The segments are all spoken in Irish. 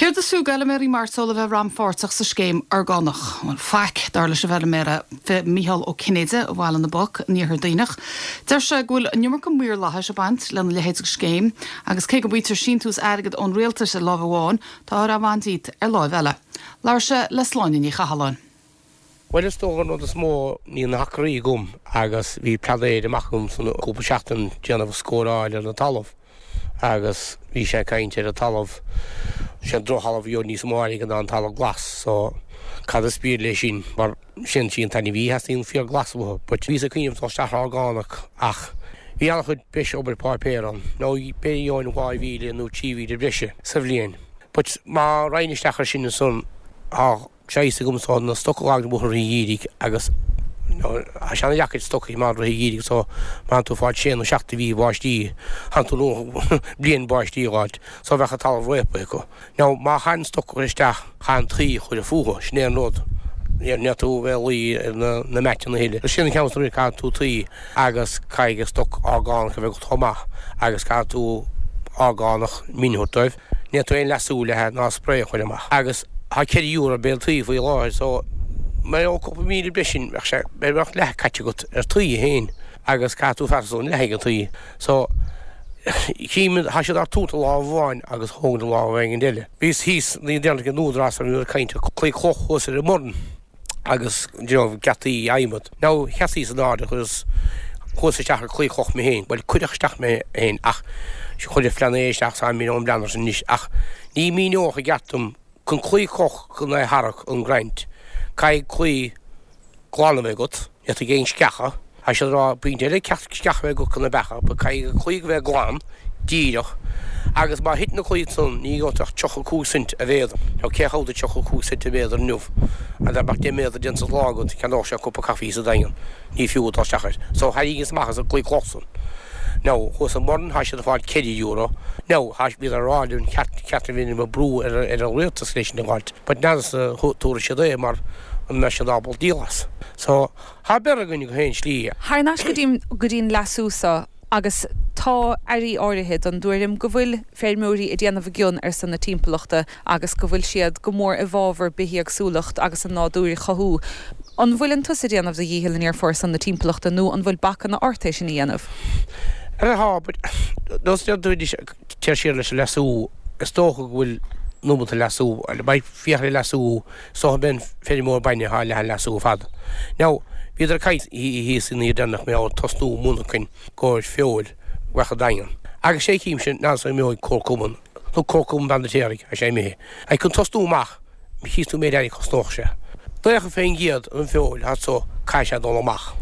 Céard is fiú d'fheilméaraí mairteola a bheith rannpháirteach sa scéim orgánach? Bhuel, faic, dar leis an bhfeilméara Micheál Ó Cinnéide ó Bhaile na bPoc in iarthar Duibhneach. Deir sé go bhfuil an iomarca maorlathais ag baint lena leithéid de scéim agus cé go bhfaightear síntiús airgid ón rialtas ar láimh amháin, táthar á bhaint díot ar láimh eile. Labhair sé le Sláine Ní Chathalláin. Bhuel is dócha an rud is mó níl na hacraí agam agus bhí pleanáil amach agam san cúpla seachtain déanamh scóráil ar an talamh agus bhí sé ag caint ar an talamh sé an drochthalamh a gheobhaidh níos mó airgead ná an talamh glas so cad is brí leis sin mar sin sí an t-ainmhí a theastaíonn fíor glas uathu but bhíos ag cuimhneamh dul isteach ar orgánach ach bhí an-chuid breis obair páipéar ann nó b'fhéidir gheobhainn 2,000 nó 3,000 breise sa bhliain but má raghainn isteach ar sin ansan tá sé a fhios agam so na stoc a fhágaint amuigh i rith an gheimhridh agus tá sé ana-dheacair stoc a choimeád i rith an gheimhridh so má tánn tú ag fáil sé nó seacht de mhí báistí, tánn tú bliain báistí a fháilt so bheadh an talamh réabtha acu. Now má chaithfinn stoc a chur isteach chaithfinn tuí a chur fúthu, sin é an rud. Ní tú a bheith ag luí ar na meaiteanna a thuilleadh. Sin an ceann is mó, caithfidh tú tuí agus caithfidh stoc orgánach a bheith agat chomh maith agus caithfidh tú orgánach min a thabhairt dóibh. Ní tú aon leasú le ná spray a chur amach. Agus tá €4 an béal tuí faoi láthair so mar gheall cúpla míle breis sin bheadh sé bheadh leath caite agat ar tuí féin agus caithfidh tú freastal an leath ag an tuí so chím tá siad á tabhairt i lámh amháin agus thógaint i lámh éigin eile. Bhíos thíos ní déarfainn ag an Údarás ar bhíodar ag caint ar claí cloch thuas ar an mBoirn agus you know geataí adhmad. Now sheasaíos in airde agus chuas isteach ar claí cloch mé féin, bhuel cuireadh isteach mé féin ach chuir an phleanáil isteach sa mí ón bpleanáil sin anois ach ní míneodh i gceart dom chun claí cloch chun é a tharrac an grant caithfidh claí glan a bheith agat, ní fhéadfaidh aon sceacha, tá siad ag rá pointe eile ceart sceacha a bheith agat chun na beacha, but caithfidh an claí a bheith glan, díreach, agus má thit na claí san ní gheobhaidh tú ach 35 cent an mhéadar. Now cé chomh 35 cent an mhéadar inniu? An dá mbeadh 10 méadar déanta sa lá agat cheannódh sé cupa caife sa Daingean. Ní fiú dul isteach air. So tharraingíos amach as an claí cloch san. Now thuas i mBoirn tá siad ag fáil €4. Now tá bhíodar ag rá linn ceart ceart a bhí ag brú ar ar an rialtas leis sin a fháilt. But n'fheadarsa tabharfaidh siad é mar an mbeidh siad ábalta díol as. So tá beir againn go haon slí. Thar n-ais go dtí go dtí an leasú so agus tá airí áirithe den dtuairim go bhfuil feirmeoirí ag déanamh a gcion ar son na timpeallachta agus go bhfuil siad go mór i bhfabhar bithéagsúlacht agus an nádúr a chothú. An bhfuileann tusa ag déanamh do dhícheall aniar ar son na timpeallachta nó an bhfuil bacanna ort é sin a dhéanamh? Tá, but nós deir tú anois téir siar leis an leasú, is dócha go bhfuil nóimeat an leasú, beidh féach ar an leasú, is dócha beidh an feirmeoir bainne atá leath an leasú ar fad. Now, bhíodar ag caint thíos in iar deireanach mé ag tosnú monarchain gcomhair feoil bheadh i Daingean. Agus sé chímse n'fheadar an imeoidh comharchumann nó comharchumann Bheanna Téaraigh, tá sé imithe. Ag chun tosnú amach, chíos tú méid airgid a chosnódh sé. 90% den feoil atá so caithfidh sé dul amach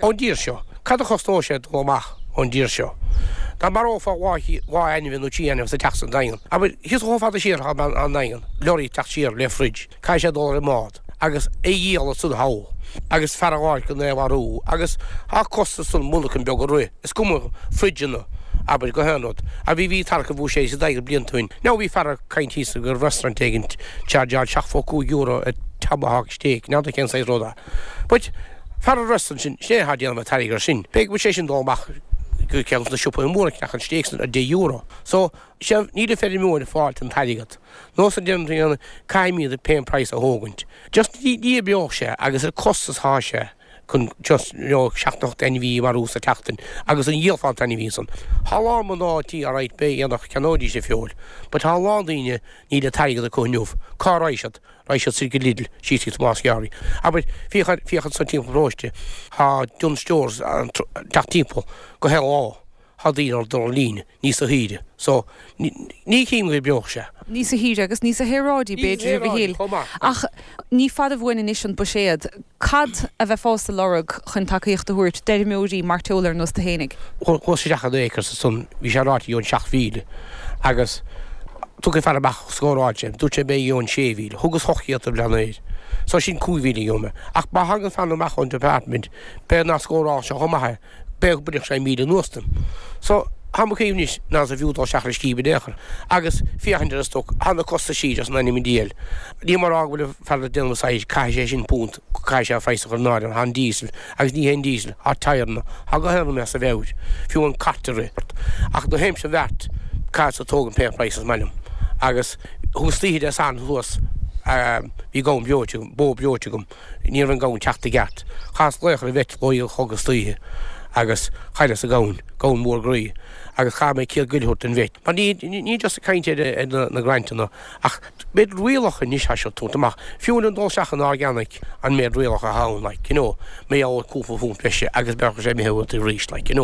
ón dtír seo. Cad a chosnódh sé dul amach ón dtír seo? Dá marófá dhá ainmhí nó trí ainmhí sa teach sa Daingean, abair, thíos chomh fada siar atá an Daingean, lorry ag teacht siar le fridge, caithfidh sé dul ar an mbád agus é a dhíol ansan thall agus fear a dh'fháil chun é a mharú agus tá costas san monarchain beag a rith, is cuma fridgeanna, abair, gach aon rud. A bhí bhí tarrac a bhuaigh sé sa Daingean blianta ó shin. Now bhí fear ag caint thíos go raibh restaurant éigin chargeáil €75 ar tomahawk steak, n'fheadar cén saghas rud é. But fear an restaurant sin, sin é atá ag déanamh an t-airgead ar sin. B'fhéidir go bhfuil sé sin dul amach go ceann de na siopaí móra ag ceannach an steak san ar €10. So, sea, níl an feirmeoir ag fáilt an t-airgead. Nós an déanamh a dhéanamh, caithfimid pé price a thógaint. Just ní oibreoidh sé agus ar costas atá sé chun just you know seacht nó ocht ainmhí a mharú sa tseachtain agus an dhíolfá an t-ainmhí san. Tá a lán mná tí alright beidh aonach ceannóidís an feoil but tá a lán daoine níl an t-airgead acu inniu. Cá raghaidh siad? Raghaidh siad soir go Lidl, síos go Tomás Garvey. Abair, féach ar, féach ansan timpeall an pharóiste, tá Dunnes Stores ag teacht timpeall gach aon lá. Tá daoine ar dul ar líne níos saoire so ní chím go oibreodh sé. Níos saoire agus níos saoráidí b'fhéidir a Mhichíl. Ach ní fada uainn anois an buiséad. Cad a bheifeása ag lorg chun tacaíocht a thabhairt d'fheirmeoirí mairteola ar nós tú fhéinig? Chuas isteach in Acres ansan bhí sé ráite gheobhainn 7,000 agus tugfaidh fear amach scóráil sé dúirt sé b'fhéidir gheobhainn 6,000. Thugas 800 don bhleán aeir. So sin 5,000 a gheobhaidh mé. Ach má thagann fear amach ón department b'fhéidir nach scóráil sé chomh maith é. B'fhéidir go bainfeadh sé 1,000 anuas dom. So, tá mo chuimhne anois nárbh fhiú dul isteach ar an scéim in aon chor. Agus féachaint ar an stoc, tá na costaisí just in ainm an diabhail. Níl mé ag rá go bhfuil an fear ag déanamh saghas, caithfidh sé sin punt, caithfidh sé an praghas a chur in áirithe, tá an diesel, agus ní hé an diesel, tá tyreanna, tá gach aon rud as a mheabhair, fiú an cairt a rith. Ach do théimse an bheart, caithfeadsa tógaint pé praghas is maith liom. Agus thuas istoíche Dé Sathairn thuas, bhí gamhain breoite agam, bó breoite agam, ní raibh an gamhain teacht i gceart. Chaitheas glaoch ar an vet a chlog istoíche agus chailleas an gamhain, gamhain mhór groí, agus chaith mé 100 goil a thabhairt don vet. Mar ní, ní just ag caint ar na grantanna ach méid rialacha anois tá siad ag tabhairt amach, fiú an dul isteach in organic an méid rialacha atá ann, like, you know, mé ar cúpla punt breise agus bheadh sé imithe uait arís, like, you know.